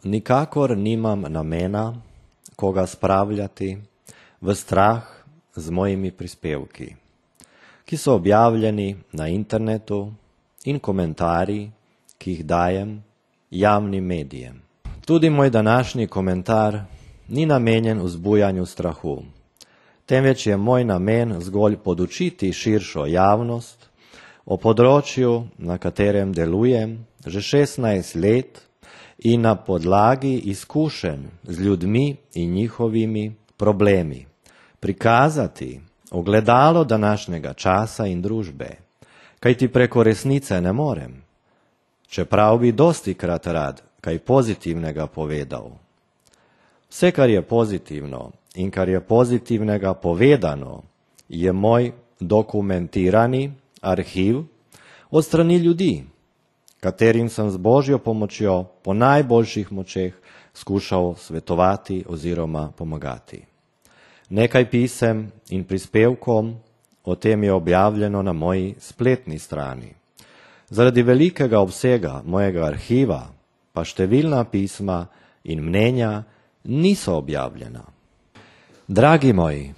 Nikakor nimam namena koga spravljati v strah z mojimi prispevki, ki so objavljeni na internetu in komentarji, ki jih dajem javnim medijem. Tudi moj današnji komentar ni namenjen vzbujanju strahu, temveč je moj namen zgolj podučiti širšo javnost o področju, na katerem delujem že 16 let in na podlagi izkušenj z ljudmi in njihovimi problemi prikazati ogledalo današnjega časa in družbe, kajti preko resnice ne morem, čeprav bi dostikrat rad kaj pozitivnega povedal. Vse, kar je pozitivno in kar je pozitivnega povedano, je moj dokumentirani arhiv od strani ljudi, katerim sem z Božjo pomočjo po najboljših močeh skušal svetovati oziroma pomagati. Nekaj pisem in prispevkom o tem je objavljeno na moji spletni strani. Zaradi velikega obsega mojega arhiva pa številna pisma in mnenja niso objavljena. Dragi moji,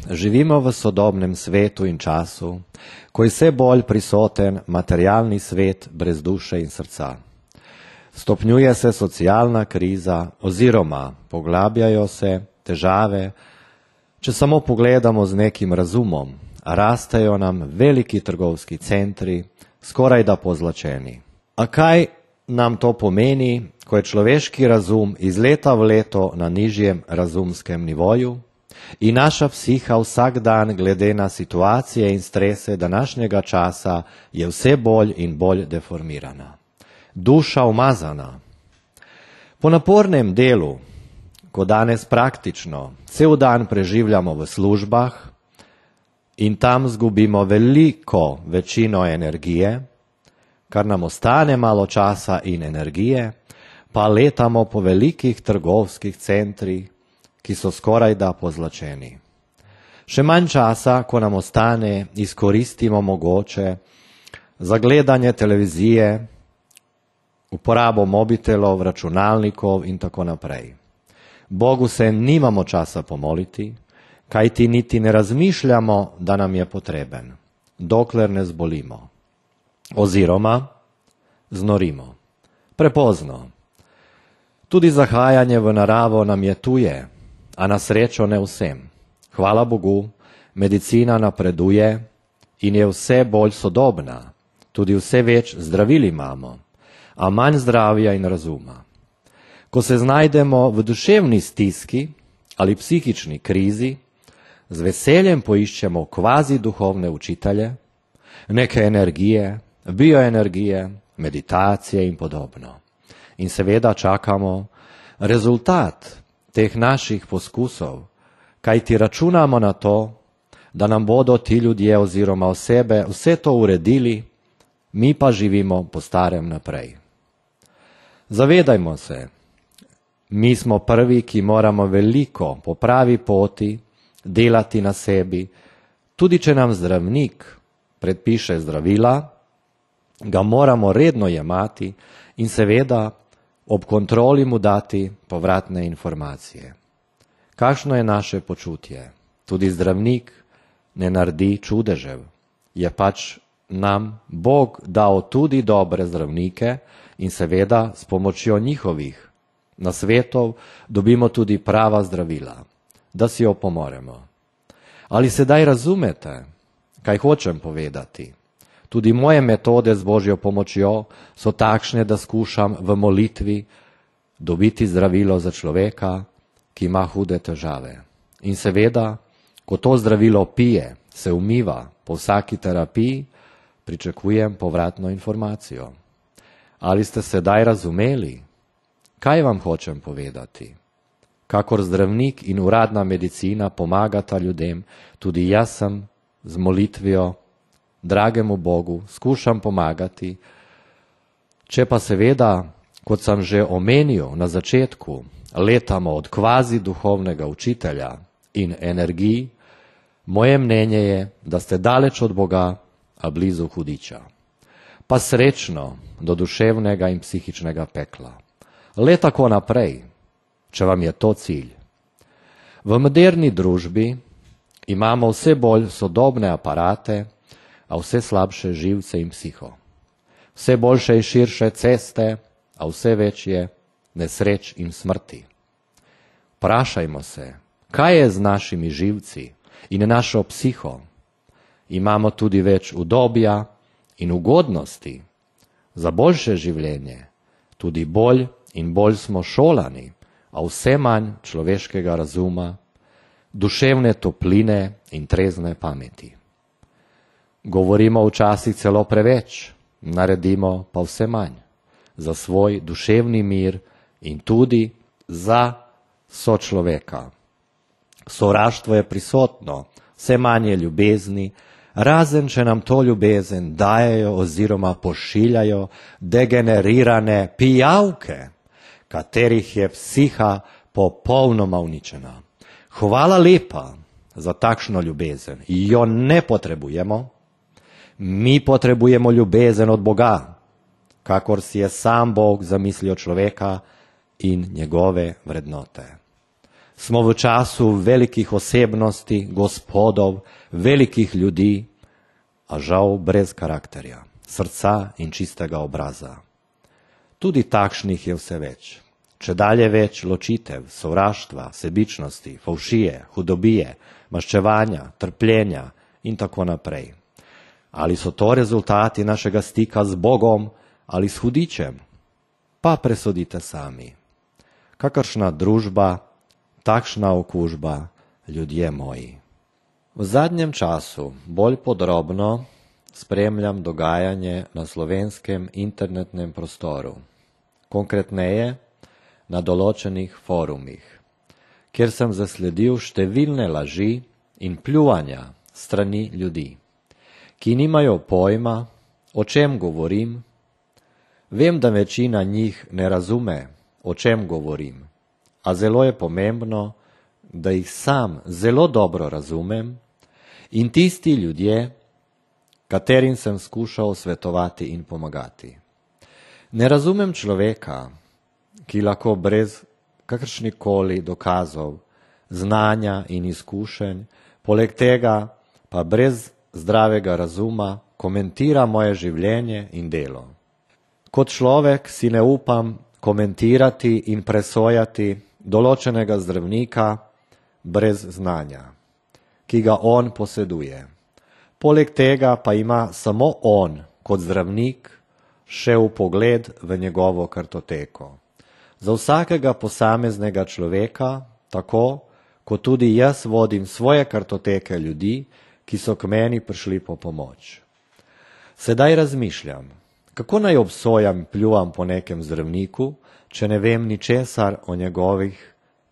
živimo v sodobnem svetu in času, ko je vse bolj prisoten materialni svet brez duše in srca. Stopnjuje se socialna kriza oziroma poglabljajo se težave. Če samo pogledamo z nekim razumom, rastejo nam veliki trgovski centri, skoraj da pozlačeni. A kaj nam to pomeni, ko je človeški razum iz leta v leto na nižjem razumskem nivoju in naša psiha vsak dan glede na situacije in strese današnjega časa je vse bolj in bolj deformirana. Duša umazana. Po napornem delu, ko danes praktično cel dan preživljamo v službah in tam zgubimo veliko večino energije, kar nam ostane malo časa in energije, pa letamo po velikih trgovskih centrih, ki so skoraj da pozlačeni. Še manj časa, ko nam ostane, izkoristimo mogoče za gledanje televizije, uporabo mobitelov, računalnikov in tako naprej. Bogu se nimamo časa pomoliti, kajti niti ne razmišljamo, da nam je potreben, dokler ne zbolimo. Oziroma znorimo. Prepozno. Tudi zahajanje v naravo nam je tuje, a na srečo ne vsem. Hvala Bogu, medicina napreduje in je vse bolj sodobna. Tudi vse več zdravil imamo, a manj zdravja in razuma. Ko se znajdemo v duševni stiski ali psihični krizi, z veseljem poiščemo kvazi duhovne učitelje, neke energije, bioenergije, meditacije in podobno. In seveda čakamo rezultat teh naših poskusov, kajti računamo na to, da nam bodo ti ljudje oziroma osebe vse to uredili, mi pa živimo po starem naprej. Zavedajmo se, mi smo prvi, ki moramo veliko po pravi poti delati na sebi, tudi če nam zdravnik predpiše zdravila, ga moramo redno jemati in seveda ob kontroli mu dati povratne informacije. Kakšno je naše počutje? Tudi zdravnik ne naredi čudežev. Je pač nam Bog dal tudi dobre zdravnike in seveda s pomočjo njihovih nasvetov dobimo tudi prava zdravila, da si jo pomoremo. Ali sedaj razumete, kaj hočem povedati? Tudi moje metode z Božjo pomočjo so takšne, da skušam v molitvi dobiti zdravilo za človeka, ki ima hude težave. In seveda, ko to zdravilo pije, se umiva po vsaki terapiji, pričakujem povratno informacijo. Ali ste sedaj razumeli, kaj vam hočem povedati? Kakor zdravnik in uradna medicina pomagata ljudem, tudi jaz sem z molitvijo dragemu Bogu skušam pomagati. Če pa seveda, kot sem že omenil na začetku, letamo od kvazi duhovnega učitelja in energij, moje mnenje je, da ste daleč od Boga, a blizu hudiča. Pa srečno do duševnega in psihičnega pekla. Le tako naprej, če vam je to cilj. V moderni družbi imamo vse bolj sodobne aparate, a vse slabše živce in psiho. Vse boljše in širše ceste, a vse večje nesreč in smrti. Vprašajmo se, kaj je z našimi živci in našo psiho? Imamo tudi več udobja in ugodnosti za boljše življenje, tudi bolj in bolj smo šolani, a vse manj človeškega razuma, duševne topline in trezne pameti. Govorimo včasih celo preveč, naredimo pa vse manj za svoj duševni mir in tudi za sočloveka. Sovraštvo je prisotno, vse manj je ljubezni, razen če nam to ljubezen dajejo oziroma pošiljajo degenerirane pijavke, katerih je psiha popolnoma uničena. Hvala lepa za takšno ljubezen, jo ne potrebujemo. Mi potrebujemo ljubezen od Boga, kakor si je sam Bog zamislil človeka in njegove vrednote. Smo v času velikih osebnosti, gospodov, velikih ljudi, a žal brez karakterja, srca in čistega obraza. Tudi takšnih je vse več. Če dalje več ločitev, sovraštva, sebičnosti, favšije, hudobije, maščevanja, trpljenja in tako naprej. Ali so to rezultati našega stika z Bogom ali s hudičem? Pa presodite sami. Kakršna družba, takšna okužba, ljudje moji. V zadnjem času bolj podrobno spremljam dogajanje na slovenskem internetnem prostoru. Konkretneje, na določenih forumih, kjer sem zasledil številne laži in pljuvanja strani ljudi, ki nimajo pojma, o čem govorim. Vem, da večina njih ne razume, o čem govorim, a zelo je pomembno, da jih sam zelo dobro razumem in tisti ljudje, katerim sem skušal svetovati in pomagati. Ne razumem človeka, ki lahko brez kakršnikoli dokazov, znanja in izkušenj, poleg tega pa brez zdravega razuma komentira moje življenje in delo. Kot človek si ne upam komentirati in presojati določenega zdravnika brez znanja, ki ga on poseduje. Poleg tega pa ima samo on kot zdravnik še vpogled v njegovo kartoteko. Za vsakega posameznega človeka, tako kot tudi jaz vodim svoje kartoteke ljudi, ki so k meni prišli po pomoč. Sedaj razmišljam, kako naj obsojam, pljuvam po nekem zdravniku, če ne vem ničesar o njegovih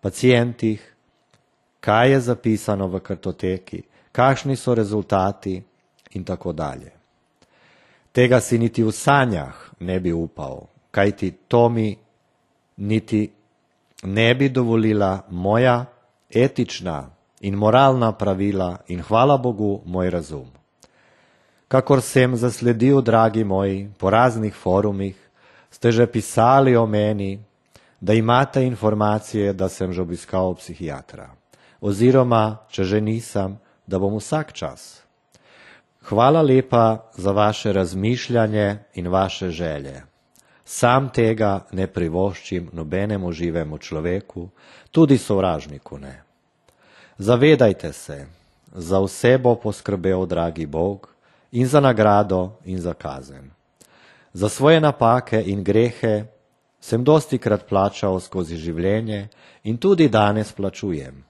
pacientih, kaj je zapisano v kartoteki, kakšni so rezultati in tako dalje. Tega si niti v sanjah ne bi upal, kajti to mi niti ne bi dovolila moja etična in moralna pravila in hvala Bogu moj razum. Kakor sem zasledil, dragi moji, po raznih forumih, ste že pisali o meni, da imate informacije, da sem že obiskal psihiatra. Oziroma, če že nisem, da bom vsak čas. Hvala lepa za vaše razmišljanje in vaše želje. Sam tega ne privoščim nobenemu živemu človeku, tudi sovražniku ne. Zavedajte se, za vse bo poskrbel dragi Bog in za nagrado in za kazen. Za svoje napake in grehe sem dostikrat plačal skozi življenje in tudi danes plačujem.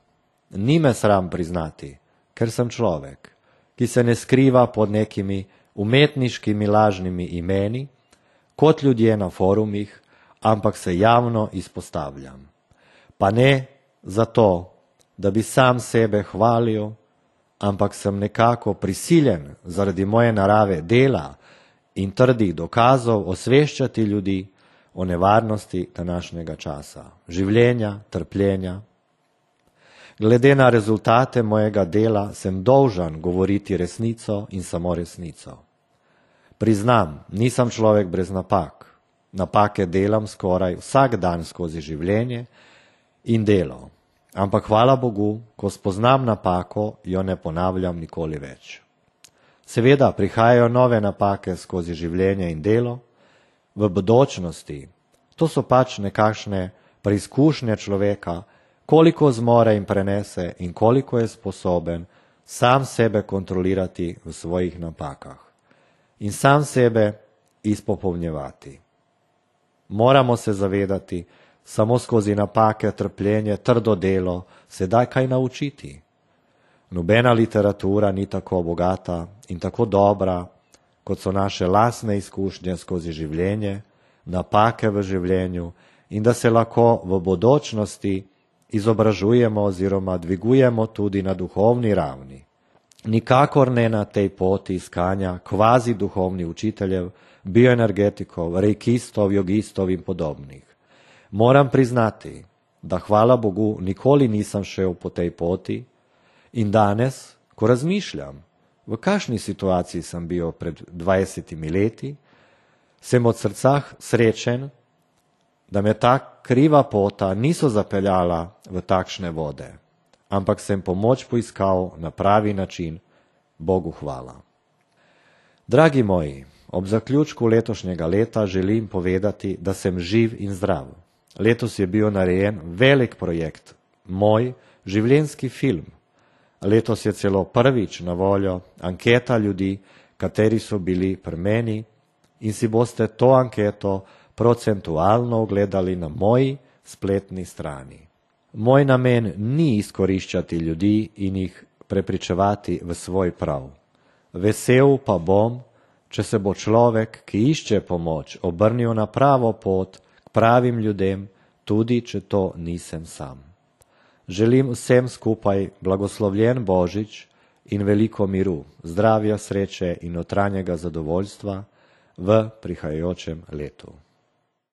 Ni me sram priznati, ker sem človek, ki se ne skriva pod nekimi umetniškimi lažnimi imeni, kot ljudje na forumih, ampak se javno izpostavljam. Pa ne zato, da bi sam sebe hvalil, ampak sem nekako prisiljen zaradi moje narave dela in trdih dokazov osveščati ljudi o nevarnosti današnjega časa, življenja, trpljenja. Glede na rezultate mojega dela sem dolžan govoriti resnico in samo resnico. Priznam, nisem človek brez napak. Napake delam skoraj vsak dan skozi življenje in delo. Ampak hvala Bogu, ko spoznam napako, jo ne ponavljam nikoli več. Seveda prihajajo nove napake skozi življenje in delo. V bodočnosti, to so pač nekakšne preizkušnje človeka, koliko zmore in prenese in koliko je sposoben sam sebe kontrolirati v svojih napakah in sam sebe izpopolnjevati. Moramo se zavedati, samo skozi napake, trpljenje, trdo delo se da kaj naučiti. Nobena literatura ni tako bogata in tako dobra, kot so naše lastne izkušnje skozi življenje, napake v življenju in da se lahko v bodočnosti izobražujemo oziroma dvigujemo tudi na duhovni ravni. Nikakor ne na tej poti iskanja kvazi duhovnih učiteljev, bioenergetikov, reikistov, jogistov in podobnih. Moram priznati, da hvala Bogu nikoli nisem šel po tej poti in danes, ko razmišljam, v kakšni situaciji sem bil pred 20 leti, sem od srca srečen, da me ta kriva pota niso zapeljala v takšne vode, ampak sem pomoč poiskal na pravi način, Bogu hvala. Dragi moji, ob zaključku letošnjega leta želim povedati, da sem živ in zdrav. Letos je bil narejen velik projekt, moj življenjski film. Letos je celo prvič na voljo anketa ljudi, kateri so bili pri meni in si boste to anketo procentualno ogledali na moji spletni strani. Moj namen ni izkoriščati ljudi in jih prepričevati v svoj prav. Vesel pa bom, če se bo človek, ki išče pomoč, obrnil na pravo pot k pravim ljudem, tudi če to nisem sam. Želim vsem skupaj blagoslovljen Božič in veliko miru, zdravja, sreče in notranjega zadovoljstva v prihajajočem letu.